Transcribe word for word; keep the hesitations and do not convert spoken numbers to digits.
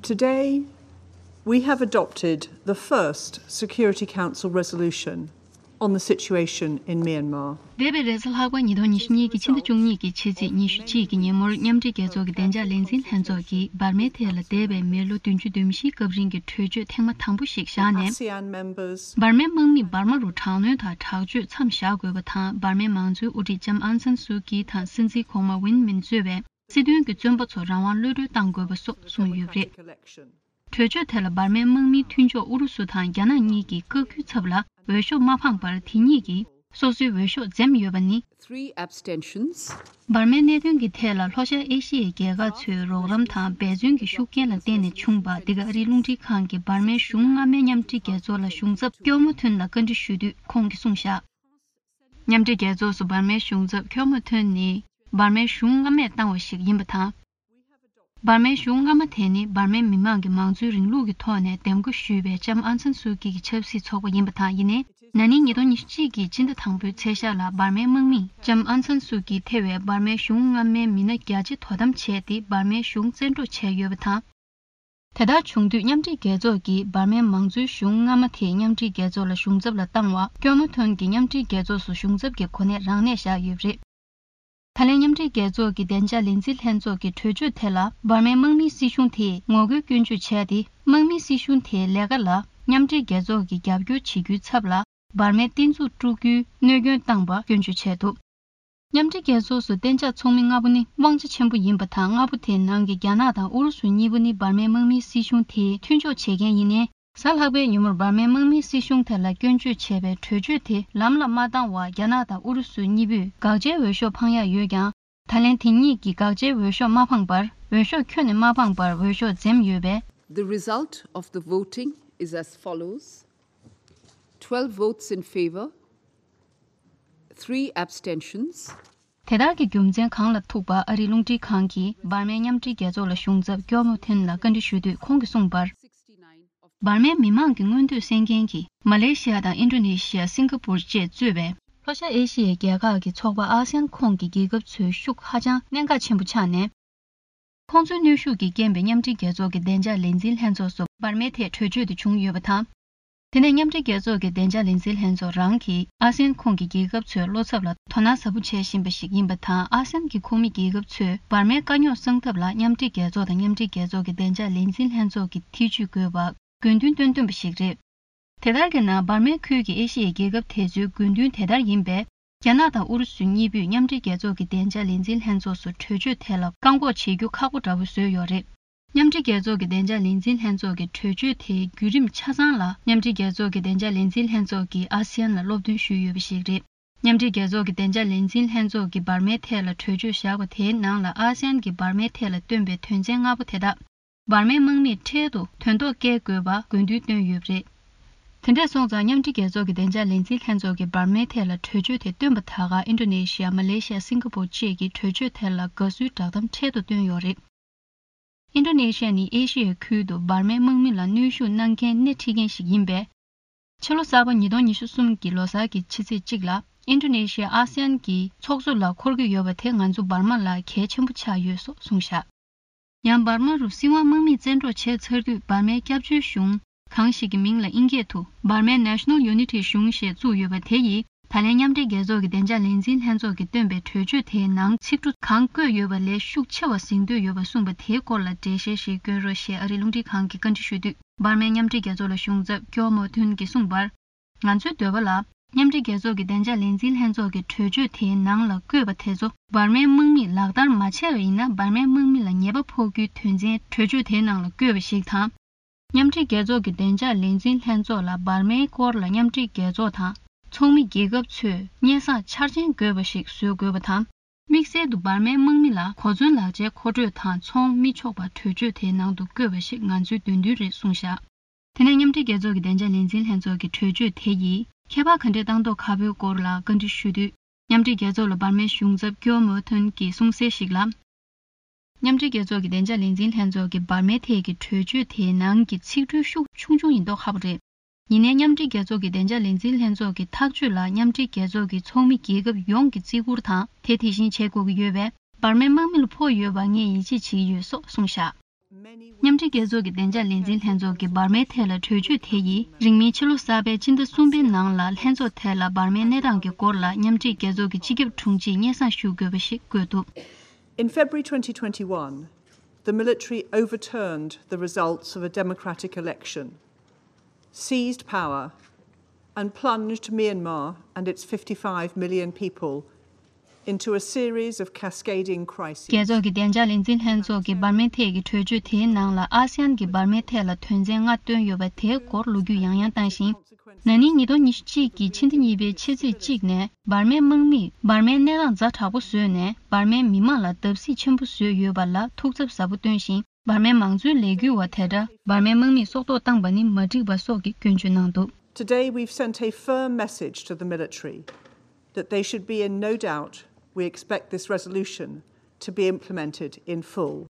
Today, we have adopted the first Security Council resolution on the situation in Myanmar. འདས་པའི་རེས་གཟའ་ལྷག་པ་ཉིས་སྟོང་ཉི་ཤུ་གཉིས་ཀྱི་ཕྱི་ཟླ་བཅུ་གཉིས་ཀྱི་ཕྱི་ཚེས་ཉི་ཤུ་གཅིག་གི་ཉིན་མོར་མཉམ་འབྲེལ་རྒྱལ་ཚོགས་ཀྱི་བདེ་འཇགས་ལས་འཛིན་ལྷན་ཚོགས་ཀྱིས་འབར་མའི་ཐད་ལ་འདས་པའི་མི་ལོ་བདུན་ཅུ་དོན་བཞིའི་སྐབས་རིང་གི་གྲོས་ཆོད་ཐེངས་མ་དང་པོ་ཞིག་བཞག་ནས། ASEAN members འབར་མའི་དམག་མིས་འབར་མ་རུ་དྲག་གནོན་དང་དྲག་སྤྱོད་མཚམས་བཞག་དགོས་པ་དང་། འབར་མའི་མང་གཙོའི་དབུ་ཁྲིད་ལྕམ་ཨང་སན་སུའུ་ཀི་དང་སྲིད་འཛིན་གོང་མ་ཝིན་མིན་གཙོས་པའི་སྲིད་དོན་གྱི་བཙོན་པ་ཚོར་རང་དབང་གློད་གྲོལ་གཏང་དགོས་པ་སོགས་གསུངས་ཡོད་པ་རེད། གྲོས་ཆོད་དེ་ལ་འབར་མའི་དམག་མིའི་མཐུན་ཕྱོགས་ཨུ་རུ་སུ་དང་རྒྱ་ནག་གཉིས་ཀྱིས་བཀའ་བཀྱོན་ཚབ་ལ་འོས་ཤོག་མ་འཕངས་པར། དེ་གཉིས་ཀྱིས་སོ་སོའི་འོས་ཤོག་འཛེམས་ཡོད་པ་ནི། Three abstentions. འབར་མའི་གནད་དོན་གྱི་ཐད་ལ་ལྷོ་ཤར་ཨེ་ཤི་ཡའི་རྒྱལ་ཁག་ཚོའི་རོགས་རམ་དང་འབད་བརྩོན་གྱི་ཤུགས་རྐྱེན་ལ་བརྟེན་ནས་བྱུང་བ། འདི་ག་ཨ་རིའི་རླུང་འཕྲིན་ཁང་གིས་འབར་མའི་གཞུང་སྔ་མའི་མཉམ་འབྲེལ་རྒྱལ་ཚོགས་ལ་གཞུང་ཚབ་ཀྱོ་མོ་ཐུན་ལ་བཀའ་འདྲི་ཞུས་དུས་ཁོང་གིས་གསུངས་བཞག། མཉམ་འབྲེལ་རྒྱལ་ཚོགས་སུ་འབར་མའི་གཞུང་ཚབ་ཀྱོ་མོ་ཐུན་ནི་འབར་མའི་གཞུང་སྔ་མས་བཏང་བ་ཞིག་ཡིན་པ་དང་། འབར་མའི་གཞུང་སྔ་མ་དེ་ནི་འབར་མའི་མི་མང་གིས་མང་གཙོའི་རིང་ལུགས་ཀྱི་ཐོག་ནས་འདེམས་བསྐོ་ཞུས་པའི་ལྕམ་ཨང་སན་སུའུ་ཀི་གི་ཆབ་སྲིད་ཚོགས་པ་ཡིན་པ་དང་། ཡིན་ནའི། ན་ནིང་ཉིས་སྟོང་ཉི་ཤུ་གཅིག་གི་སྤྱི་ཟླ་དང་པོའི་ཚེས་ཤར་ལ་འབར་མའི་དམག་མིས་ལྕམ་ཨང་སན་སུའུ་ཀི་ཐེ་བའི་འབར་མའི་གཞུང་སྔ་མའི་མི་སྣ་བརྒྱ་ཆ་དོ་དམ་བྱས་ཏེ། འབར་མའི་གཞུང་བཙན་འཕྲོག་བྱས་ཡོད་པ་དང་། དེ་ལྟར་བྱུང་དུས་མཉམ་འབྲེལ་རྒྱལ་ཚོགས་ཀྱིས་འབར་མའི་མང་གཙོའི་གཞུང་སྔ་མ་དེ་མཉམ་འབྲེལ་རྒྱལ་ཚོགས་ལ་གཞུང་ཚབ་ལ་བཏང་བ། ཀྱོ་མོ་ཐོན་གྱིས་མཉམ་འབྲེལ་རྒྱལ་ཚོགས་སུ་གཞུང་ཚབ་ཀྱི་གོ་གནས་རང་ནས་བཞག་ཡོད་པ་རེད། ད་ལན་མཉམ་འབྲེལ་རྒྱལ་ཚོགས་ཀྱི་བདེ་འཇགས་ལས་འཛིན་ལྷན་ཚོགས་ཀྱི་གྲོས་ཆོད་དེ་ལ་འབར་མའི་དམག་མིའི་སྲིད་གཞུང་དེས་ངོ་རྒོལ་སྐྱོན་བརྗོད་བྱས་ཏེ། དམག་མིའི་སྲིད་གཞུང་དེའི་ལས་ཀ་ལ་མཉམ་འབྲེལ་རྒྱལ་ཚོགས་ཀྱིས་རྒྱབ་སྐྱོར་བྱེད་རྒྱུའི་ཚབ་ལ་འབར་མའི་བསྟན་འཛུགས་དཀྲུག་རྒྱུའི་གནོད་སྐྱོན་བཏང་བ་སྐྱོན་བརྗོད་བྱས་འདུག། མཉམ་འབྲེལ་རྒྱལ་ཚོགས་སུ་གཏན་འཇགས་ཚོགས་མི་ལྔ་པོ་ནི་དབང་ཆ་ཆེན་པོ་ཡིན་པ་དང་། ལྔ་པོ་དེའི་ནང་གི་རྒྱ་ནག་དང་ཨུ་རུ་སུ་གཉིས་པོ་ནི་འབར་མའི་དམག་མིའི་སྲིད་གཞུང་དེའི་མཐུན་ཕྱོགས་བྱེད་མཁན་ཡིན་ནའི། གཟའ་ལྷག་པའི་ཉིན་མོར་འབར་མའི་དམག་མིའི་སྲིད་གཞུང་དེ་ལ་སྐྱོན་བརྗོད་བྱས་པའི་གྲོས་ཆོད་དེ་ལམ་ལ་མ་བཏང་བར། རྒྱ་ནག་དང་ཨུ་རུ་སུ་གཉིས་པོས་དགག་བྱའི་འོས་ཤོག་འཕང་ཡག་ཡོད་ཀྱང་། ད་ལན་དེ་གཉིས་ཀྱིས་དགག་བྱའི་འོས་ཤོག་མ་འཕངས་པར། འོས་ཤོག་ཁྱོན་ནས་མ་འཕངས་པར་འོས་ཤོག་འཛེམས་ཡོད་པས། The result of the voting is as follows. Twelve votes in favor, three abstentions. དེ་ལྟར་གྱི་རྒྱུ་མཚན་གང་ལ་ཐུག་པ། ཨ་རིའི་རླུང་འཕྲིན་ཁང་གིས་འབར་མའི་མཉམ་འབྲེལ་རྒྱལ་ཚོགས་ལ་གཞུང་ཚབ་ཀྱོ་མོ་ཐུན་ལ་བཀའ་འདྲི་ཞུས་དུས་ཁོང་གིས་གསུངས་པར། འབར་མའི་མི་མང་གི་མངོན་འདོད་གསན་མཁན་གྱི་མ་ལེ་ཤི་ཡ་དང་ཨིན་ཌོ་ནེ་ཤི་ཡ། སིང་ག་པུར་བཅས་གཙོས་པའི་ལྷོ་ཤར་ཨེ་ཤི་ཡའི་རྒྱལ་ཁག་གི་ཚོགས་པ་ཨ་སི་ཡན་ཁོངས་ཀྱི་རྒྱལ་ཁབ་ཚོའི་ཤུགས་ཧ་ཅང་གནད་འགག་ཆེན་པོ་ཆགས་ནས། ཁོང་ཚོའི་གནོན་ཤུགས་ཀྱི་རྐྱེན་པས་མཉམ་འབྲེལ་རྒྱལ་ཚོགས་ཀྱི་བདེ་འཇགས་ལས་འཛིན་ལྷན་ཚོགས་སུ་འབར་མའི་ཐད་གྲོས་ཆོད་དེ་བྱུང་ཡོད་པ་དང་། དེ་ནས་མཉམ་འབྲེལ་རྒྱལ་ཚོགས་ཀྱི་བདེ་འཇགས་ལས་འཛིན་ལྷན་ཚོགས་རང་གིས་ཨ་སི་ཡན་ཁོངས་ཀྱི་རྒྱལ་ཁབ་ཚོའི་བློ་འཚབ་ལ་དོ་སྣང་ཟབ་པོ་བྱེད་བཞིན་པ་ཞིག་ཡིན་པ་དང་། ཨ་སི་ཡན་གྱི་ཁོངས་མི་རྒྱལ་ཁབ་ཚོས་འབར་མའི་དཀའ་རྙོག་སེལ་ཐབས་ལ་མཉམ་འབྲེལ་རྒྱལ་ཚོགས་དང་མཉམ་འབྲེལ་རྒྱལ་ཚོགས་ཀྱི་བདེ་འཇགས་ལས་འཛིན་ལྷན་ཚོགས་ཀྱི་ཐེ་བྱུས་དགོས་པ་དགོས་འདུན་བཏོན་བཏོན་པ་ཞིག་རེད། དེ་ལྟར་གྱི་ན། འབར་མའི་ཁུལ་གྱི་ཨེ་ཤི་ཡའི་རྒྱལ་ཁབ་དེ་ཚོའི་དགོས་འདུན་དེ་ལྟར་ཡིན་པས། རྒྱ་ནག་དང་ཨུ་རུ་སུ་གཉིས་པོས་མཉམ་འབྲེལ་རྒྱལ་ཚོགས་ཀྱི་བདེ་འཇགས་ལས་འཛིན་ལྷན་ཚོགས་སུ་གྲོས་ཆོད་དེ་ལ་བཀག་འགོག་བྱེད་རྒྱུ་ཁག་པོ་འདྲ་བོ་བཟོས་ཡོད་རེད། མཉམ་འབྲེལ་རྒྱལ་ཚོགས་ཀྱི་བདེ་འཇགས་ལས་འཛིན་ལྷན་ཚོགས་ཀྱི་གྲོས་ཆོད་དེའི་བརྒྱུད་རིམ་ཆ་ཚང་ལ་མཉམ་འབྲེལ་རྒྱལ་ཚོགས་ཀྱི་བདེ་འཇགས་ལས་འཛིན་ལྷན་ཚོགས་ཀྱིས་ཨ་སི་ཡན་ལ་སློབ་སྟོན་ཞུས་ཡོད་པ་ཞིག་རེད། མཉམ་འབྲེལ་རྒྱལ་ཚོགས་ཀྱི་བདེ་འཇགས་ལས་འཛིན་ལྷན་ཚོགས་ཀྱིས་འབར་མའི་ཐད་ལ་གྲོས་ཆོད་བཞག་པ་དེའི་ནང་ལ་ཨ་སི་ཡན་གྱིས་འབར་མའི་ཐད་ལ་བཏོན་པའི་དོན་ཚན་ལྔ་པོ་དེ་དག་འབར་མའི་དམག་མིས་འཕྲལ་དུ་དོན་ཐོག་བསྐྱལ་དགོས་པ་དགོས་འདུན་བཏོན་ཡོད་པ་རེད། དེ་འདྲ་སོང་ཙང་། མཉམ་འབྲེལ་རྒྱལ་ཚོགས་ཀྱི་བདེ་འཇགས་ལས་འཛིན་ལྷན་ཚོགས་ཀྱིས་འབར་མའི་ཐད་ལ་གྲོས་ཆོད་དེ་བཏོན་པ་ད་ག་ཨིན་ཌོ་ནེ་ཤི་ཡ། མ་ལེ་ཤི་ཡ། སིང་ག་པུར་བཅས་ཀྱིས་གྲོས་ཆོད་དེ་ལ་དགའ་བསུའི་བསྒྲགས་གཏམ་འཕྲལ་དུ་བཏོན་ཡོད་རེད། ཨིན་ཌོ་ནེ་ཤི་ཡ་ནི་ཨེ་ཤི་ཡའི་ཁུལ་དུ་འབར་མའི་དམག་མི་ལ་གནོན་ཤུགས་གནང་མཁན་སྣེ་ཁྲིད་མཁན་ཞིག་ཡིན་པས། ཕྱི་ལོ་གསར་པ་ཉིས་སྟོང་ཉི་ཤུ་གསུམ་གྱི་ལོ་གསར་གྱི་ཕྱི་ཚེས་གཅིག་ལ་ཨིན་ཌོ་ནེ་ཤི་ཡ་ཨ་སི་ཡན་གྱི་ཚོགས་གཙོ་ལ་འཁོར་གྱི་ཡོད་པ་དེ་ང་ཚོ་འབར་མ་ལ་གལ་ཆེན་པོ་ཆགས་ཡོད་སོགས་གསུངས་བཞག། ཡང་འབར་མ་རུ་སྲིད་དབང་དམག་མིས་བཙན་འཕྲོག་བྱས་ཚར་དུས། འབར་མའི་སྐྱབས་བཅོལ་གཞུང་གང་ཞིག་གི་མིང་ལ་དབྱིན་སྐད་དུ་Burma National Unity གཞུང་ཞེས་བཙུགས་ཡོད་པ་དེ་ཡིས། ད་ལན་མཉམ་འབྲེལ་རྒྱལ་ཚོགས་ཀྱི་བདེ་འཇགས་ལས་འཛིན་ལྷན་ཚོགས་ཀྱིས་བཏོན་པའི་གྲོས་ཆོད་དེའི་ནང་ཚིག་འབྲུ་གང་བཀོད་ཡོད་པ་ལས་ཤུགས་ཆེ་བ་ཟིན་འདོད་ཡོད་པ་གསུངས་པ་དེའི་སྐོར་ལ་འགྲེལ་བཤད་ཞིག་སྐྱོན་རོགས་ཞེས་ཨ་རིའི་རླུང་འཕྲིན་ཁང་གིས་བཀའ་འདྲི་ཞུས་དུས། འབར་མའི་མཉམ་འབྲེལ་རྒྱལ་ཚོགས་ལ་གཞུང་ཚབ་ཀྱོ་མོ་ཐུན་གྱིས་གསུངས་པར། ང་ཚོའི་འདོད་པ་ལ། མཉམ་འབྲེལ་རྒྱལ་ཚོགས་ཀྱི་བདེ་འཇགས་ལས་འཛིན་ལྷན་ཚོགས་ཀྱི་གྲོས་ཆོད་དེའི་ནང་ལ་བཀོད་པ་དེ་ཚོ་འབར་མའི་དམག་མིས་ལག་བསྟར་མ་བྱས་པ་ཡིན་ན། འབར་མའི་དམག་མི་ལ་ཉེས་པ་ཕོག་རྒྱུའི་དོན་ཚན་གྲོས་ཆོད་དེའི་ནང་ལ་བཀོད་པ་ཞིག་དང་། མཉམ་འབྲེལ་རྒྱལ་ཚོགས་ཀྱི་བདེ་འཇགས་ལས་འཛིན་ལྷན་ཚོགས་ལ་འབར་མའི་སྐོར་ལ་མཉམ་འབྲེལ་རྒྱལ་ཚོགས་དང་ཚོགས་མི་རྒྱལ་ཁབ་ཚོས་སྙན་སེང་འཆར་ཅན་དགོས་པ་ཞིག་བཟོ་དགོས་པ་དང་། དམིགས་བསལ་དུ་འབར་མའི་དམག་མི་ལ་གོ་མཚོན་ལག་ཆའི་མཁོ་སྤྲོད་དང་ཚོང་མི་ཆོག་པ་གྲོས་ཆོད་དེའི་ནང་དུ་བཀོད་པ་ཞིག་ང་ཚོའི་འདོད་འདུན་རེད་གསུངས་བཞག། དེ་ནས་མཉམ་འབྲེལ་རྒྱལ་ཚོགས་ཀྱི་བདེ་འཇགས་ལས་འཛིན་ལྷན་ཚོགས་ཀྱི་གྲོས་ཆོད་དེ་ཡིས་ཁྱད་པར་ག་འདྲས་བཏང་མདོག་ཁ་པོའི་སྐོར་ལ་བཀའ་འདྲི་ཞུས་དུས། མཉམ་འབྲེལ་རྒྱལ་ཚོགས་ལ་འབར་མའི་གཞུང་ཚབ་ཀྱོ་མོ་ཐོན་གྱིས་གསུངས་གསལ་ཞིག་ལ། མཉམ་འབྲེལ་རྒྱལ་ཚོགས་ཀྱི་བདེ་འཇགས་ལས་འཛིན་ལྷན་ཚོགས་ཀྱིས་འབར་མའི་ཐད་ཀྱི་གྲོས་ཆོད་དེའི་ནང་གི་ཚིག་འབྲུའི་ཤུགས་ཆུང་ཆུང་ཡིན་མདོག་ཁ་པོ་རེད། ཡིན་ནའི་མཉམ་འབྲེལ་རྒྱལ་ཚོགས་ཀྱི་བདེ་འཇགས་ལས་འཛིན་ལྷན་ཚོགས་ཀྱི་ཐག་གཅོད་ལ་མཉམ་འབྲེལ་རྒྱལ་ཚོགས་ཀྱི་ཚོགས་མི་རྒྱལ་ཁབ་ཡོངས་ཀྱིས་བརྩི་བཀུར་དང་དེ་དེ་བཞིན་བྱེད་དགོས་ཀྱི་ཡོད་པས། འབར་མའི་དམག་མི་ལ་ཕོག་ཡོད་པར་ངས་ཡིད་ཆེས་བྱེད་ཀྱི་ཡོད་སོགས་གསུངས་བཞག། མཉམ་འབྲེལ་རྒྱལ་ཚོགས་ཀྱི་བདེ་འཇགས་ལས་འཛིན་ལྷན་ཚོགས་ཀྱི་འབར་མའི་ཐད་ལ་གྲོས་ཆོད་དེ་ཡིས་རིང་མིན་ཕྱི་ལོ་གསར་པའི་ཕྱི་ཟླ་གསུམ་པའི་ནང་ལ་ལྷན་ཚོགས་ཐད་ལ་འབར་མའི་གནས་སྟངས་ཀྱི་སྐོར་ལ་མཉམ་འབྲེལ་རྒྱལ་ཚོགས་ཀྱི་སྤྱི་ཁྱབ་དྲུང་ཆེས་སྙན་སེང་ཞུ་དགོས་པ་ཞིག་བཀོད་འདུག In February twenty twenty-one, the military overturned the results of a democratic election, seized power, and plunged Myanmar and its fifty-five million people into a series of cascading crises. རྒྱལ་ཚོགས་ཀྱི་བདེ་འཇགས་ལས་འཛིན་ལྷན་ཚོགས་ཀྱིས་འབར་མའི་ཐད་ཀྱི་གྲོས་ཆོད་དེའི་ནང་ལ་ཨ་སི་ཡན་གྱིས་འབར་མའི་ཐད་ལ་དོན་ཚན་ལྔ་བཏོན་ཡོད་པ་དེའི་སྐོར་ལོ་རྒྱུས་ཡང་ཡང་བཏང་ཞིང་། ན་ནིང་ཉིས་སྟོང་ཉི་ཤུ་གཅིག་གི་ཕྱི་ཟླ་གཉིས་པའི་ཕྱི་ཚེས་གཅིག་ནས་འབར་མའི་དམག་མིས་འབར་མའི་གནས་སྟངས་ཛ་དྲག་པོ་བཟོས་ནས་འབར་མའི་མི་དམངས་ལ་བརྡབ་གསིག་ཆེན་པོ་བཟོས་ཡོད་པ་ལ་ཐུགས་འཚབ་ཟབ་པོ་བཏོན་ཞིང་། འབར་མའི་མང་གཙོའི་ལས་འགུལ་བ་དེ་འདྲ་འབར་མའི་དམག་མིས་སྲོག་ཐོག་བཏང་པ་ནི་མ་འགྲིག་པ་སོགས་ཀྱི་སྐྱོན་བརྗོད་གནང་འདུག Today we've sent a firm message to the military that they should be in no doubt. We expect this resolution to be implemented in full.